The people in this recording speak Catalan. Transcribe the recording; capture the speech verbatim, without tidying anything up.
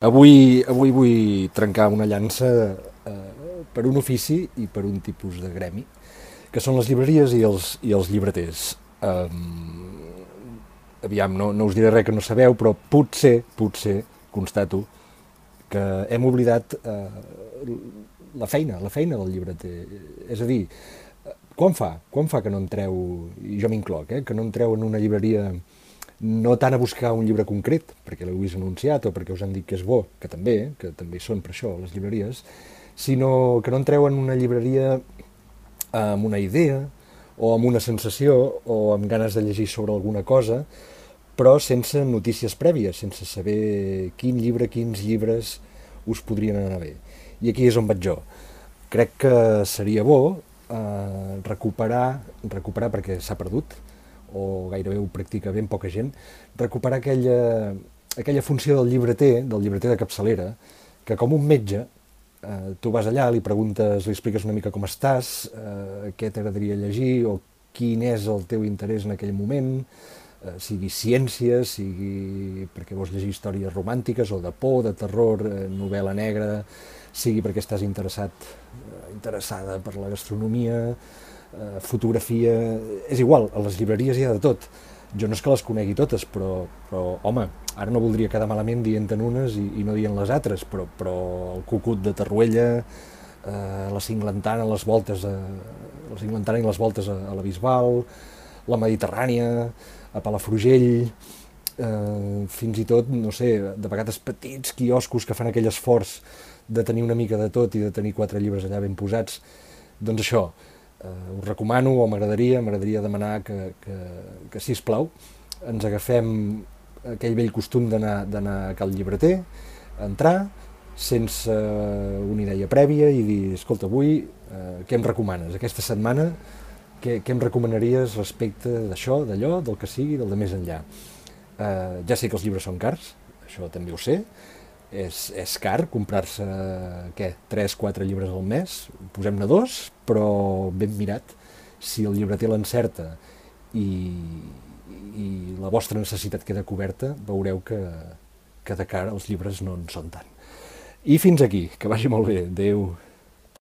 Avui, avui vull trencar una llança eh, per un ofici i per un tipus de gremi, que són les llibreries i els, i els llibreters. Um, aviam, no, no us diré res que no sabeu, però potser, potser, constato, que hem oblidat eh, la feina, la feina del llibreter. És a dir, quan fa? Quan fa que no entreu, i jo m'incloc, eh, que no entreu en una llibreria no tant a buscar un llibre concret, perquè l'heu vist anunciat o perquè us han dit que és bo, que també, eh, que també hi són per això les llibreries, sinó que no entreu en una llibreria amb una idea o amb una sensació o amb ganes de llegir sobre alguna cosa, però sense notícies prèvies, sense saber quin llibre, quins llibres us podrien anar bé. I aquí és on vaig jo. Crec que seria bo eh, recuperar, recuperar perquè s'ha perdut, o gairebé ho practica ben poca gent, recuperar aquella, aquella funció del llibreter, del llibreter de capçalera, que com un metge, eh, tu vas allà, li preguntes, li expliques una mica com estàs, eh, què t'agradaria llegir, o quin és el teu interès en aquell moment, eh, sigui ciència, sigui perquè vols llegir històries romàntiques, o de por, de terror, eh, novel·la negra, sigui perquè estàs interessat, eh, interessada per la gastronomia, eh, fotografia, és igual, a les llibreries hi ha de tot. Jo no és que les conegui totes, però, però home, ara no voldria quedar malament dient-en unes i, i no dient les altres, però, però el Cucut de Torroella, eh, la Cinglantana, les voltes a, la Cinglantana i les voltes a, a la Bisbal, la Mediterrània, a Palafrugell, eh, fins i tot, no sé, de vegades petits quioscos que fan aquell esforç de tenir una mica de tot i de tenir quatre llibres allà ben posats. Doncs això, Uh, us recomano, o m'agradaria, m'agradaria demanar que, que, que sisplau, ens agafem aquell vell costum d'anar a cal llibreter, entrar, sense una idea prèvia i dir, escolta, avui uh, què em recomanes? Aquesta setmana què, què em recomanaries respecte d'això, d'allò, del que sigui, del de més enllà? Uh, ja sé que els llibres són cars, això també ho sé, És, és car comprar-se, què, tres quatre llibres al mes, posem-ne dos, però ben mirat, si el llibreter l'encerta i, i la vostra necessitat queda coberta, veureu que, que de cara els llibres no en són tant. I fins aquí, que vagi molt bé, adeu.